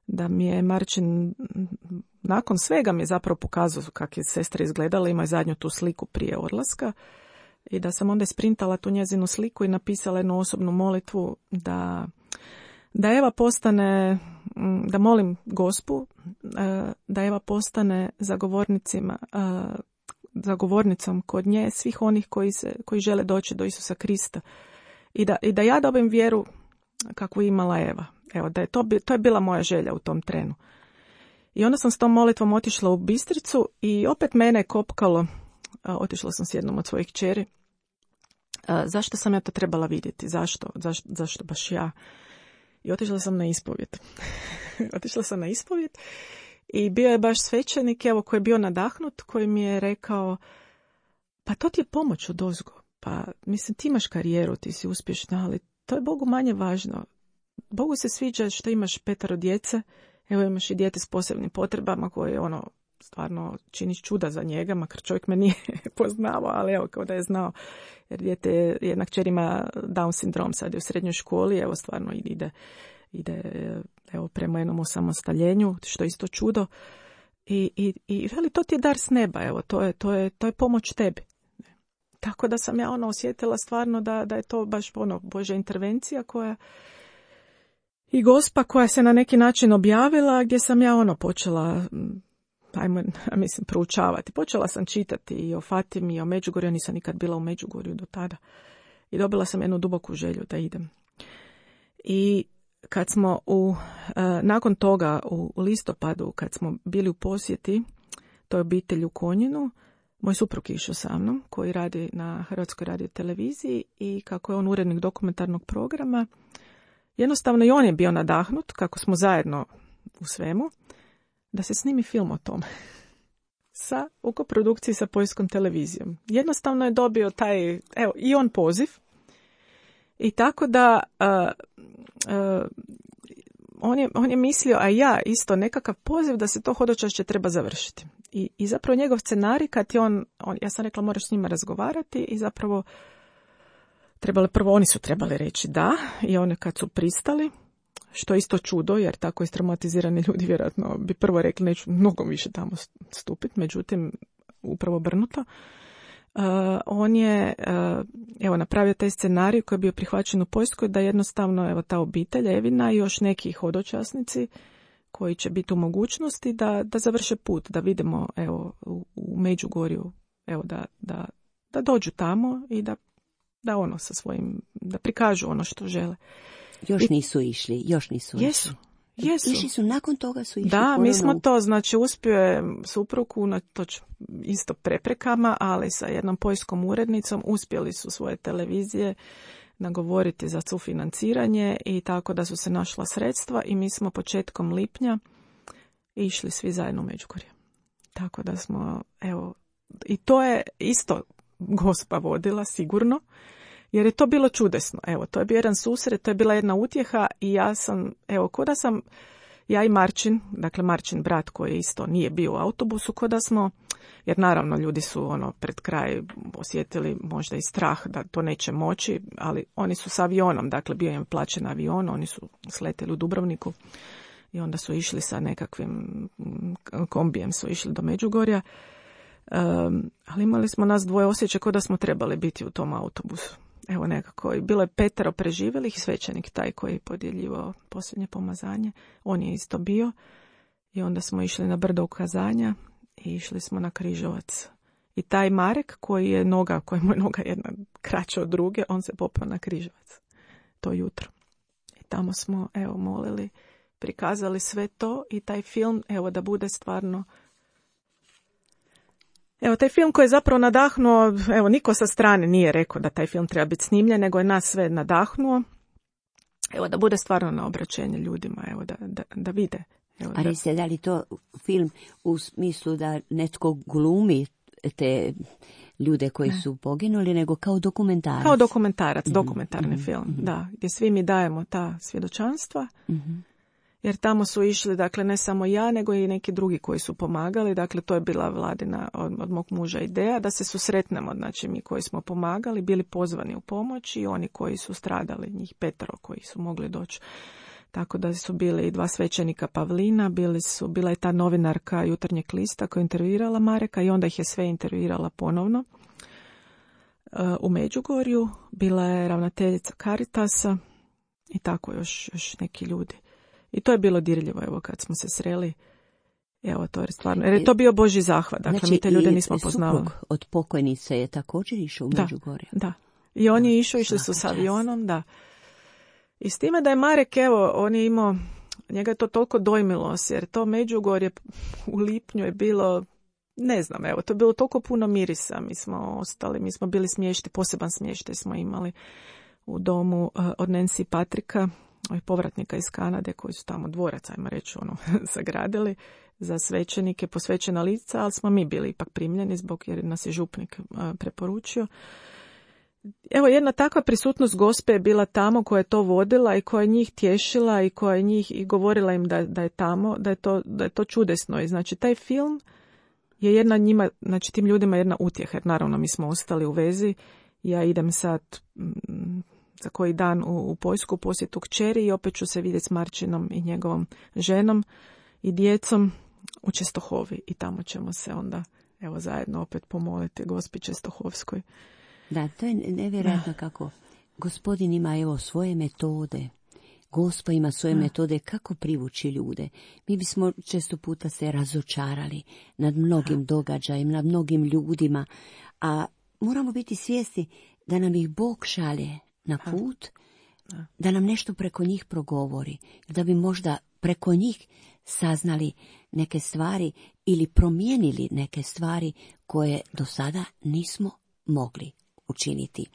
da mi je Marčin nakon svega mi je zapravo pokazao kako je sestra izgledala, ima zadnju tu sliku prije odlaska, i da sam onda isprintala tu njezinu sliku i napisala jednu osobnu molitvu da Eva postane, da molim Gospu da Eva postane zagovornicom kod nje svih onih koji žele doći do Isusa Krista, i da ja dobijem vjeru kakvu imala Eva. Evo, da je to je bila moja želja u tom trenu. I onda sam s tom molitvom otišla u Bistricu i opet mene je kopkalo, otišla sam s jednom od svojih kćeri, zašto sam ja to trebala vidjeti, zašto baš ja. I otišla sam na ispovjed. I bio je baš svećenik, evo, koji je bio nadahnut, koji mi je rekao, pa to ti je pomoć odozgo. pa mislim ti imaš karijeru, ti si uspješna, ali to je Bogu manje važno. Bogu se sviđa što imaš 5 djece, evo imaš i dijete s posebnim potrebama koje stvarno činiš čuda za njega, makar čovjek me nije poznavao, ali evo kao da je znao, jer dijete, jedna kćer ima Down sindrom, sad je u srednjoj školi, evo stvarno ide evo prema jednom osamostaljenju, što je isto čudo. I veli, to ti je dar s neba, evo, to je pomoć tebi. Tako da sam ja osjetila stvarno da je to baš Božja intervencija koja i Gospa koja se na neki način objavila, gdje sam ja počela proučavati. Počela sam čitati i o Fatimi i o Međugorju, ja nisam nikad bila u Međugorju do tada. I dobila sam jednu duboku želju da idem. I kad smo nakon toga u listopadu, kad smo bili u posjeti toj obitelji u Konjinu, moj suprug je išao sa mnom, koji radi na Hrvatskoj radioteleviziji i kako je on urednik dokumentarnog programa, jednostavno i on je bio nadahnut, kako smo zajedno u svemu, da se snimi film o tome. U koprodukciji sa poljskom televizijom. Jednostavno je dobio i on poziv. I tako da on je mislio, a ja isto nekakav poziv da se to hodočašće treba završiti. I zapravo njegov scenarij, kad je ja sam rekla moraš s njima razgovarati i zapravo oni su trebali reći da i oni kad su pristali, što je isto čudo, jer tako istraumatizirani ljudi vjerojatno bi prvo rekli neću mnogo više tamo stupiti, međutim upravo obrnuto. On je napravio taj scenarij koji je bio prihvaćen u Poljskoj, da jednostavno ta obitelj Evina i još neki hodočasnici koji će biti u mogućnosti da završe put, da vidimo u Međugorju, da dođu tamo i da sa svojim, da prikažu ono što žele. Još nisu išli. Jesu. Išli su, nakon toga su išli. Da, mi smo to, uspio je suprug unatoč isto preprekama, ali sa jednom poljskom urednicom uspjeli su svoje televizije nagovoriti za sufinanciranje i tako da su se našla sredstva i mi smo početkom lipnja išli svi zajedno u Međugorje. Tako da smo, i to je isto Gospa vodila sigurno, jer je to bilo čudesno. To je bio jedan susret, to je bila jedna utjeha i ja sam, ja i Marčin, dakle Marčin brat koji isto nije bio u autobusu, ko da smo, jer naravno ljudi su pred kraj osjetili možda i strah da to neće moći, ali oni su s avionom, dakle bio im plaćen avion, oni su sletjeli u Dubrovniku i onda su išli sa nekakvim kombijem, su išli do Međugorja. Ali imali smo nas dvoje osjećaj kao da smo trebali biti u tom autobusu. Nekako, i bilo je 5 preživjelih i svećenik taj koji je podjeljivao posljednje pomazanje. On je isto bio i onda smo išli na brdo ukazanja i išli smo na Križevac. I taj Marek kojemu je noga jedna kraća od druge, on se popao na Križevac to jutro. I tamo smo, molili, prikazali sve to i taj film, da bude stvarno. Taj film koji je zapravo nadahnuo, niko sa strane nije rekao da taj film treba biti snimljen, nego je nas sve nadahnuo. Da bude stvarno na obraćenje ljudima, da vide. A recite, da li to film u smislu da netko glumi te ljude koji su poginuli, nego kao dokumentarac? Kao dokumentarac, dokumentarni film, da, gdje svi mi dajemo ta svjedočanstva. Jer tamo su išli, dakle, ne samo ja, nego i neki drugi koji su pomagali. Dakle, to je bila Vladina od mog muža ideja, da se susretnemo, znači mi koji smo pomagali, bili pozvani u pomoć i oni koji su stradali, njih 5 koji su mogli doći. Tako da su bili i 2 svećenika Pavlina, bila je ta novinarka Jutarnjeg lista koja je intervjuirala Mareka i onda ih je sve intervjuirala ponovno. U Međugorju bila je ravnateljica Caritasa i tako još neki ljudi. I to je bilo dirljivo, kad smo se sreli. To je stvarno, jer je to bio Božji zahvat. Dakle, znači, mi te ljude nismo poznavali. Suprug od pokojnice je također išao u Međugorje. Da. I on je išli su s avionom, da. I s time da je Marek, on je imao, njega je to toliko dojmilo, jer to Međugorje u lipnju je bilo, ne znam, to je bilo toliko puno mirisa. Mi smo bili smješti, poseban smještaj smo imali u domu od Nancy Patrika, povratnika iz Kanade koji su tamo dvorac, ajmo reći, sagradili za svećenike, posvećena lica, ali smo mi bili ipak primljeni jer nas je župnik preporučio. evo jedna takva prisutnost Gospe je bila tamo, koja je to vodila i koja je njih tješila i koja je njih i govorila im da je tamo, da je to čudesno. I znači taj film je jedna njima, znači tim ljudima jedna utjeha, jer naravno mi smo ostali u vezi. Ja idem sad za koji dan u Poljsku posjetu kćeri i opet ću se vidjeti s Marčinom i njegovom ženom i djecom u Čestohovi i tamo ćemo se onda evo zajedno opet pomoliti Gospi Čestohovskoj. Da, to je nevjerojatno kako Gospodin ima evo svoje metode. Gospa ima svoje metode kako privući ljude. Mi bismo često puta se razočarali nad mnogim događajima, nad mnogim ljudima, a moramo biti svjesni da nam ih Bog šalje na put, da nam nešto preko njih progovori, da bi možda preko njih saznali neke stvari ili promijenili neke stvari koje do sada nismo mogli učiniti.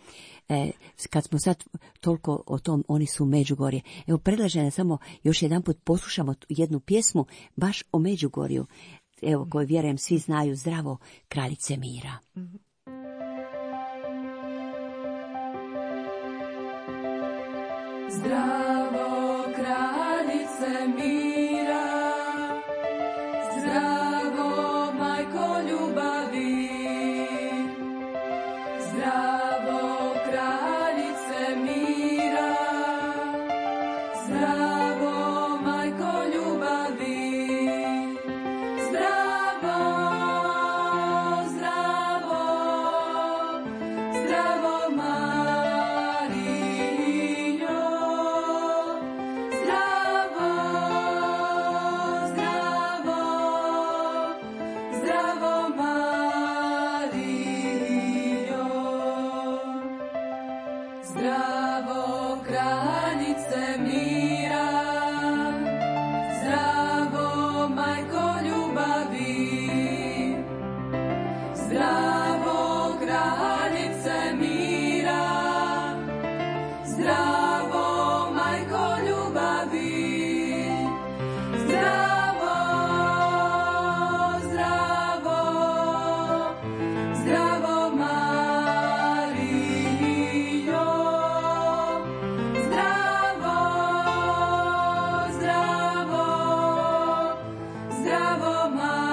Kad smo sad toliko o tom, oni su Međugorje. Evo, predlažem da samo još jedanput poslušamo jednu pjesmu baš o Međugorju, evo, koju vjerujem svi znaju, Zdravo kraljice mira. Zdravo kraljice mira, zdravo majko ljubavi, zdravo kraljice mira, zdravo majko ljubavi, zdravo, zdravo, zdravo Marinjo, zdravo, zdravo, zdravo Marinjo, zdravo kraljice mira, zdravo majko ljubavi, zdravo kraljice mira, zdravo majko ljubavi, zdravo, zdravo, zdravo Marinjo, zdravo, zdravo, zdravo Marinjo.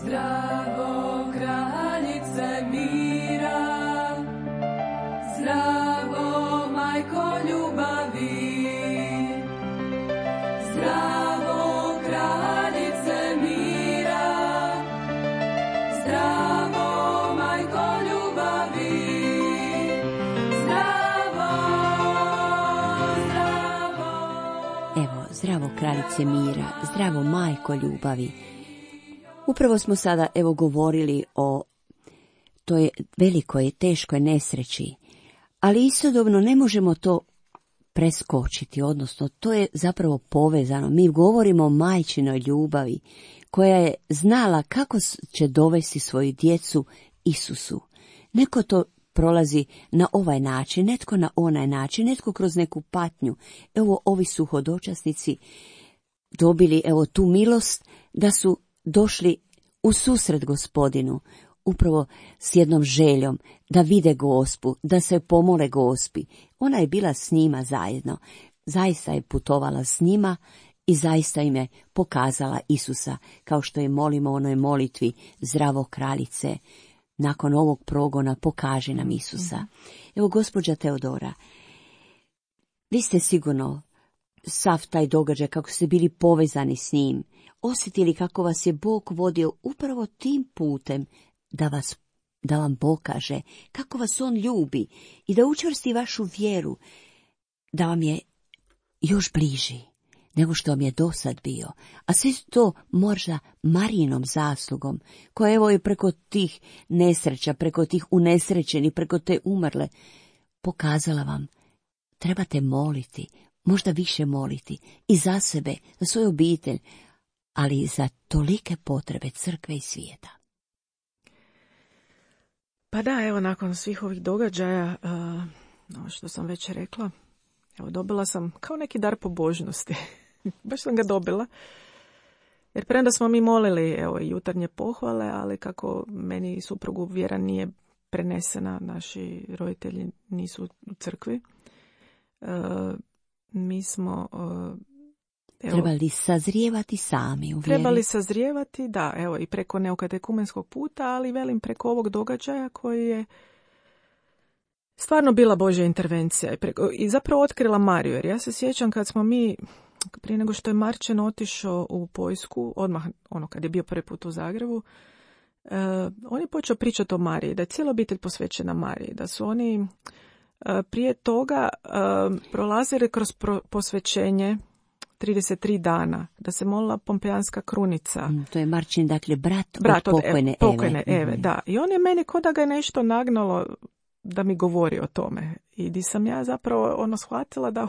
Zdravo kraljice mira, zdravo majko ljubavi, zdravo kraljice mira, zdravo majko ljubavi, zdravo, zdravo. Evo, zdravo kraljice mira, zdravo majko ljubavi. Upravo smo sada evo govorili o toj velikoj i teškoj nesreći, ali istodobno ne možemo to preskočiti, odnosno to je zapravo povezano. Mi govorimo o majčinoj ljubavi koja je znala kako će dovesti svoju djecu Isusu. Neko to prolazi na ovaj način, netko na onaj način, netko kroz neku patnju. Evo, ovi su hodočasnici dobili evo tu milost da su došli u susret Gospodinu, upravo s jednom željom da vide Gospu, da se pomole Gospi. Ona je bila s njima zajedno, zaista je putovala s njima i zaista im je pokazala Isusa, kao što je molimo u onoj molitvi Zdravo kraljice, nakon ovog progona pokaže nam Isusa. Evo, gospođa Teodora, vi ste sigurno sav taj događaj, kako ste bili povezani s njim, osjetili kako vas je Bog vodio upravo tim putem da vam pokaže kako vas on ljubi i da učvrsti vašu vjeru, da vam je još bliži nego što vam je dosad bio, a sve to možda Marijinom zaslugom, koja evo je preko tih nesreća, preko tih unesrećenih, preko te umrle, pokazala vam, trebate moliti, možda više moliti, i za sebe, za svoju obitelj, ali i za tolike potrebe crkve i svijeta. Pa da, evo, nakon svih ovih događaja, što sam već rekla, evo, dobila sam kao neki dar pobožnosti. Baš sam ga dobila. Jer premda smo mi molili, evo, jutarnje pohvale, ali kako meni suprugu vjera nije prenesena, naši roditelji nisu u crkvi, mi smo trebali sazrijevati sami u vjeri. Trebali sazrijevati, da, evo, i preko neokatekumenskog puta, ali velim preko ovog događaja koji je stvarno bila Božja intervencija i zapravo otkrila Mariju. Jer ja se sjećam kad smo mi, prije nego što je Marčen otišao u Poljsku, odmah kad je bio prvi put u Zagrebu, on je počeo pričati o Mariji, da je cijela obitelj posvećena Mariji, da su oni prije toga prolazili kroz posvećenje 33 dana, da se molila Pompejanska krunica. To je Marčin, dakle, brat od pokojne Eve. Da. I on je meni ko da ga je nešto nagnalo da mi govori o tome. I di sam ja zapravo shvatila da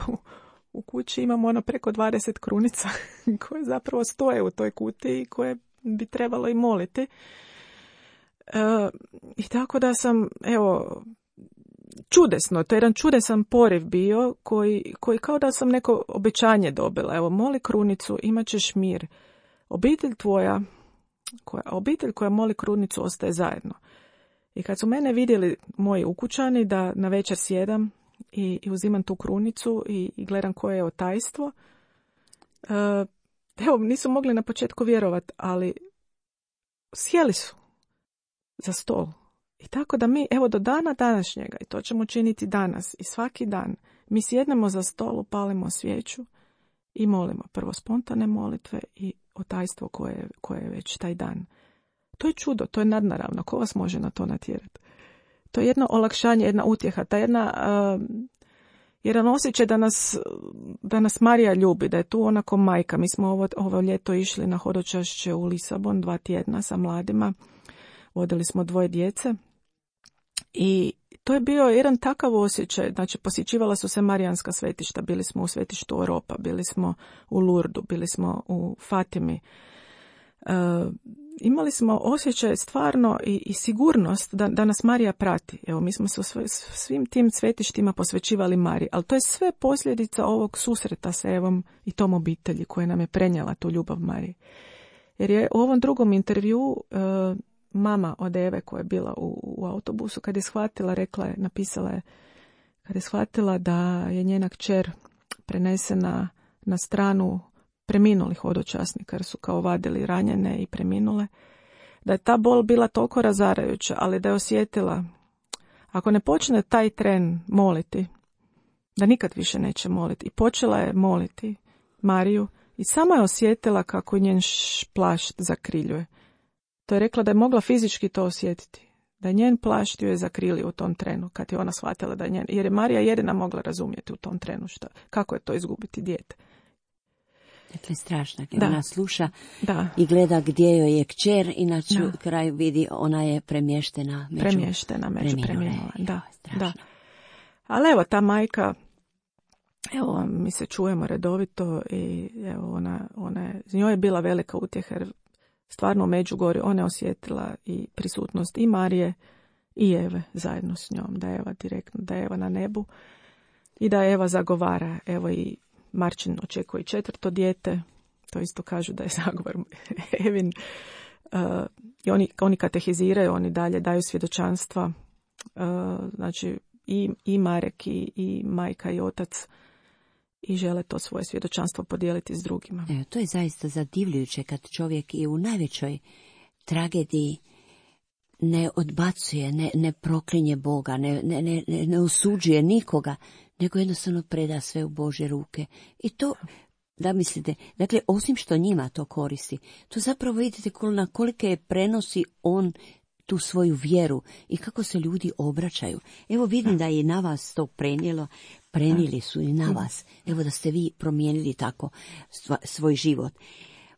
u kući imamo preko 20 krunica koje zapravo stoje u toj kutiji i koje bi trebalo i moliti. I tako da sam, evo, čudesno, to je jedan čudesan poriv bio koji kao da sam neko obećanje dobila. Evo, moli krunicu, imat ćeš mir. Obitelj koja moli krunicu ostaje zajedno. I kad su mene vidjeli moji ukućani da na večer sjedam i uzimam tu krunicu i gledam koje je tajstvo, evo, nisu mogli na početku vjerovati, ali sjeli su za stol. I tako da mi, evo, do dana današnjega, i to ćemo činiti danas i svaki dan, mi sjednemo za stol, upalimo svijeću i molimo prvo spontane molitve i o tajstvo koje je već taj dan. To je čudo, to je nadnaravno. Ko vas može na to natjerati? To je jedno olakšanje, jedna utjeha, ta jedan osjećaj da nas Marija ljubi, da je tu onako majka. Mi smo ovo ljeto išli na hodočašće u Lisabon 2 tjedna sa mladima. Vodili smo 2 djece. I to je bio jedan takav osjećaj, znači posjećivala su se marijanska svetišta, bili smo u svetištu Oropa, bili smo u Lurdu, bili smo u Fatimi. Imali smo osjećaj stvarno i sigurnost da nas Marija prati. Evo, mi smo se svim tim svetištima posvećivali Mariji, ali to je sve posljedica ovog susreta sa Evom i tom obitelji koja nam je prenijela tu ljubav Mariji. Jer je u ovom drugom intervju mama od Eve koja je bila u autobusu, kad je shvatila, napisala je, kad je shvatila da je njena kćer prenesena na stranu preminulih hodočasnika, jer su kao vadili ranjene i preminule, da je ta bol bila toliko razarajuća, ali da je osjetila, ako ne počne taj tren moliti, da nikad više neće moliti. I počela je moliti Mariju i sama je osjetila kako njen plašt zakriljuje. To je rekla da je mogla fizički to osjetiti, da je njen plašt ju je zakrilio u tom trenu, kad je ona shvatila da je njen, jer je Marija jedina mogla razumjeti u tom trenu kako je to izgubiti dijete. Dakle, strašno, kad ona sluša da. I gleda gdje joj je kćer i na kraju vidi ona je premještena među preminule. Da. Ali evo, ta majka, evo, mi se čujemo redovito i evo, njoj je bila velika utjeha, jer stvarno u Međugorju ona je osjetila i prisutnost i Marije i Eve zajedno s njom, da je Eva direktno, da je Eva na nebu i da Eva zagovara, evo, i Marčin očekuje 4. dijete, to isto kažu da je zagovor Evin. I oni katehiziraju, oni dalje daju svjedočanstva, znači i Marek i majka i otac, i žele to svoje svjedočanstvo podijeliti s drugima. To je zaista zadivljujuće kad čovjek i u najvećoj tragediji ne odbacuje, ne proklinje Boga, ne osuđuje nikoga, nego jednostavno preda sve u Božje ruke. I to, da mislite, dakle, osim što njima to koristi, to zapravo vidite na kolike je prenosi on tu svoju vjeru i kako se ljudi obraćaju. Evo vidim da je na vas to prenijeli su i na vas. Evo da ste vi promijenili tako svoj život.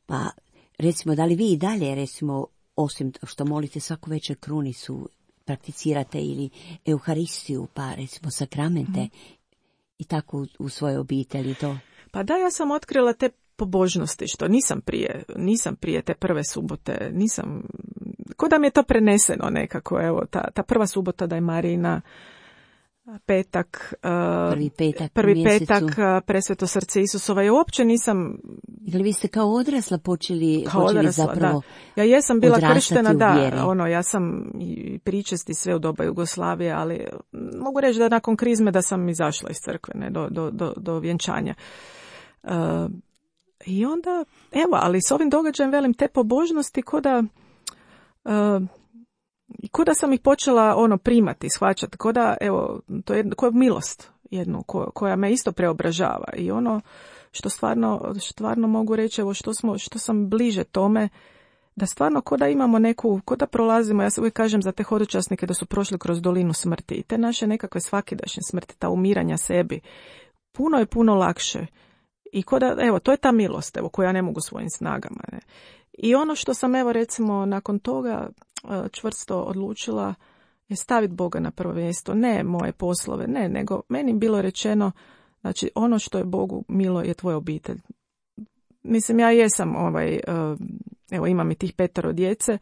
Pa recimo, da li vi i dalje, recimo, osim što molite svaku večer krunicu, prakticirate ili Euharistiju, pa recimo sakramente i tako u svojoj obitelji to? Pa da, ja sam otkrila te pobožnosti, što nisam prije te prve subote, ko da mi je to preneseno nekako, evo, ta prva subota da je Marijina, petak, prvi petak, Presveto srce Isusova, ja uopće nisam... Ili vi ste kao odrasla počeli zapravo da. Ja jesam bila krštena, da, ja sam i pričesti sve u doba Jugoslavije, ali mogu reći da nakon krizme da sam izašla iz crkve, ne, do vjenčanja. I onda, evo, ali s ovim događajem, velim, te pobožnosti ko da sam ih počela primati, shvaćati, ko da, evo, to je milost jednu koja me isto preobražava i ono što stvarno mogu reći, evo, što sam bliže tome, da stvarno ko da imamo ko da prolazimo, ja se uvijek kažem za te hodočasnike da su prošli kroz dolinu smrti i te naše nekakve svakidašnje smrti, ta umiranja sebi, puno lakše. I evo, to je ta milost, evo, koju ja ne mogu svojim snagama. Ne. I ono što sam, evo, recimo, nakon toga čvrsto odlučila je staviti Boga na prvo mjesto. Ne moje poslove, ne, nego meni bilo rečeno, znači, ono što je Bogu milo je tvoja obitelj. Mislim, ja jesam, evo, imam i tih 5 djece,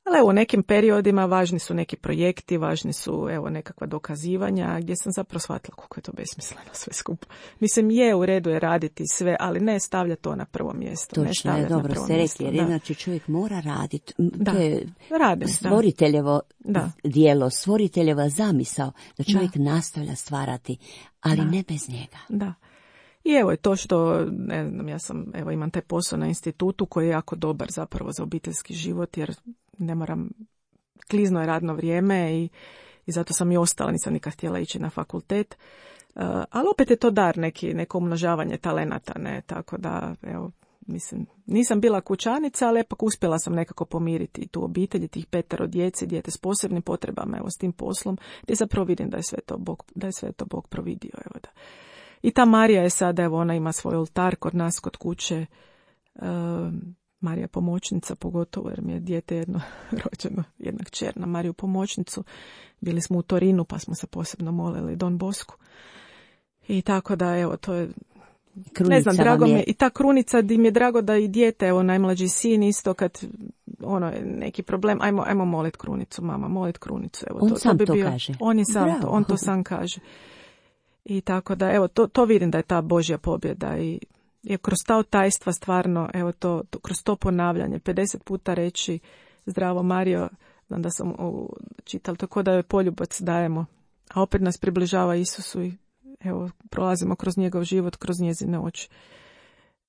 ali evo, u nekim periodima važni su neki projekti, važni su, evo, nekakva dokazivanja, gdje sam zapravo shvatila koliko je to besmisleno sve skupo. Mislim, u redu je raditi sve, ali ne stavlja to na prvo mjesto. Točno je, dobro ste rekli, jer inače čovjek mora raditi. Da, to je radim, stvoriteljevo dijelo, stvoriteljeva zamisao, da čovjek nastavlja stvarati, ali ne bez njega. Da. I evo je to što, ne znam, ja imam taj posao na institutu koji je jako dobar zapravo za obiteljski život, jer ne moram, klizno je radno vrijeme i zato sam i ostala, nisam nikad htjela ići na fakultet, ali opet je to dar, neko umnožavanje talenata, ne, tako da, evo, mislim, nisam bila kućanica, ali ipak uspjela sam nekako pomiriti tu obitelj, tih 5 djece, dijete s posebnim potrebama, evo, s tim poslom, gdje zapravo vidim da je sve to Bog providio, evo da. I ta Marija je sada, evo, ona ima svoj oltar kod nas, kod kuće, Marija pomoćnica, pogotovo jer mi je dijete jedno rođeno, jedna kćer na Mariju pomoćnicu. Bili smo u Torinu pa smo se posebno molili Don Bosku. I tako da, evo, to je, krunica, ne znam, drago mi je. I ta krunica, di mi je drago da i dijete, evo, najmlađi sin isto, kad neki problem, ajmo molit krunicu, mama, molit krunicu. Evo, on sam bi to bio, kaže. On je sam to, on to sam kaže. I tako da, evo, to vidim da je ta Božja pobjeda i kroz ta tajstva stvarno, evo, kroz to ponavljanje, 50 puta reći zdravo Marijo, znam da sam čitala, tako da joj poljubac dajemo, a opet nas približava Isusu i evo, prolazimo kroz njegov život, kroz njezine oči.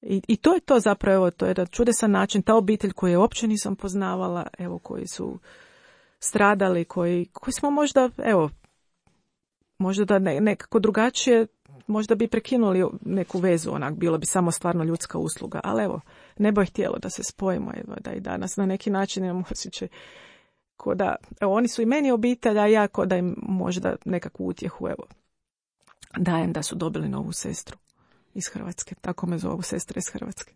I to je to zapravo, evo, to je jedan čudesan način, ta obitelj koju uopće nisam poznavala, evo, koji su stradali, koji smo možda, evo, možda da nekako drugačije, možda bi prekinuli neku vezu, onak, bilo bi samo stvarno ljudska usluga, ali evo, nebo je htjelo da se spojimo, evo, da i danas na neki način imamo osjećaj ko da, evo, oni su i meni obitelj, a ja ko da im možda nekakvu utjehu, evo, dajem da su dobili novu sestru iz Hrvatske, tako me zovu, sestra iz Hrvatske.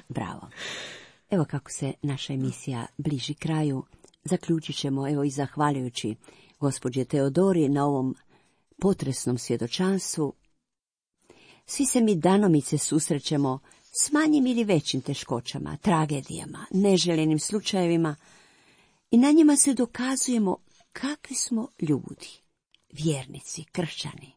Bravo. Evo kako se naša emisija bliži kraju, zaključit ćemo, evo, i zahvaljujući gospođe Teodori na ovom potresnom svjedočanstvu. Svi se mi danomice susrećemo s manjim ili većim teškoćama, tragedijama, neželjenim slučajevima i na njima se dokazujemo kakvi smo ljudi, vjernici, kršćani.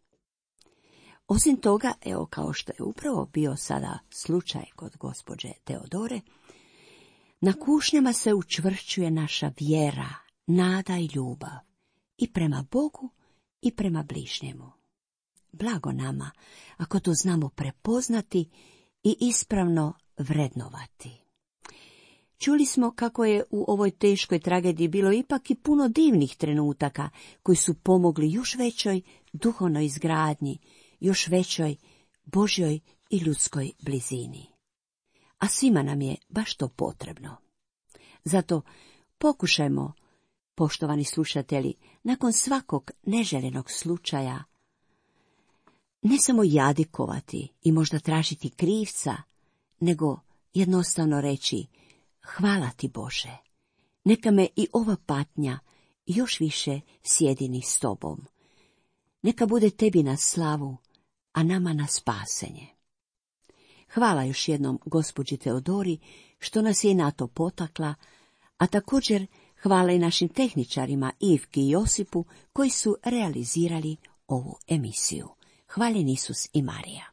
Osim toga, evo, kao što je upravo bio sada slučaj kod gospođe Teodore, na kušnjama se učvršćuje naša vjera, nada i ljubav i prema Bogu i prema bližnjemu. Blago nama ako to znamo prepoznati i ispravno vrednovati. Čuli smo kako je u ovoj teškoj tragediji bilo ipak i puno divnih trenutaka koji su pomogli još većoj duhovnoj izgradnji, još većoj Božjoj i ljudskoj blizini. A svima nam je baš to potrebno. Zato pokušajmo Poštovani slušatelji, nakon svakog neželjenog slučaja, ne samo jadikovati i možda tražiti krivca, nego jednostavno reći: hvala ti Bože, neka me i ova patnja još više sjedini s tobom. Neka bude tebi na slavu, a nama na spasenje. Hvala još jednom gospođi Teodori što nas je na to potakla, a također hvala i našim tehničarima Ivki i Josipu koji su realizirali ovu emisiju. Hvaljen Isus i Marija.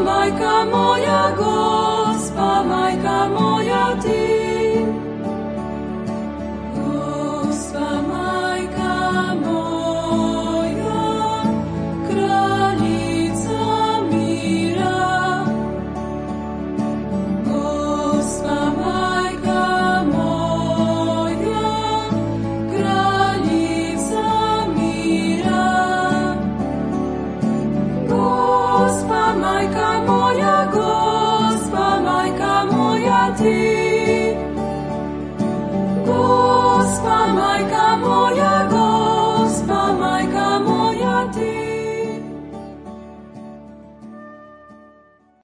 Majka moja, Gospa, majka moja ti. Gospa, majka moja, kraljica mira. Gospa, majka moja, kraljica mira. Gospa, majka moja, Gospa, majka moja ti.